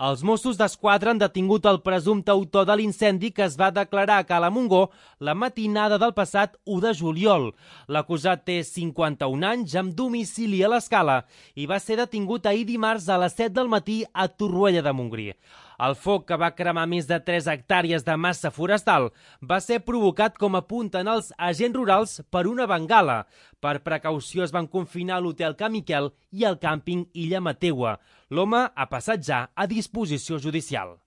Els Mossos d'Esquadra han detingut el presumpte autor de l'incendi que es va declarar a Cala Montgó la matinada del passat 1 de juliol. L'acusat té 51 anys, amb domicili a l'Escala, i va ser detingut ahir dimarts a les 7 del matí a Torroella de Montgrí. El foc, que va cremar més de 3 hectàrees de massa forestal, va ser provocat, com apunten els agents rurals, per una bengala. Per precaució es van confinar l'hotel Can Miquel i el càmping Illa Mateua. L'home ha passat ja a disposició judicial.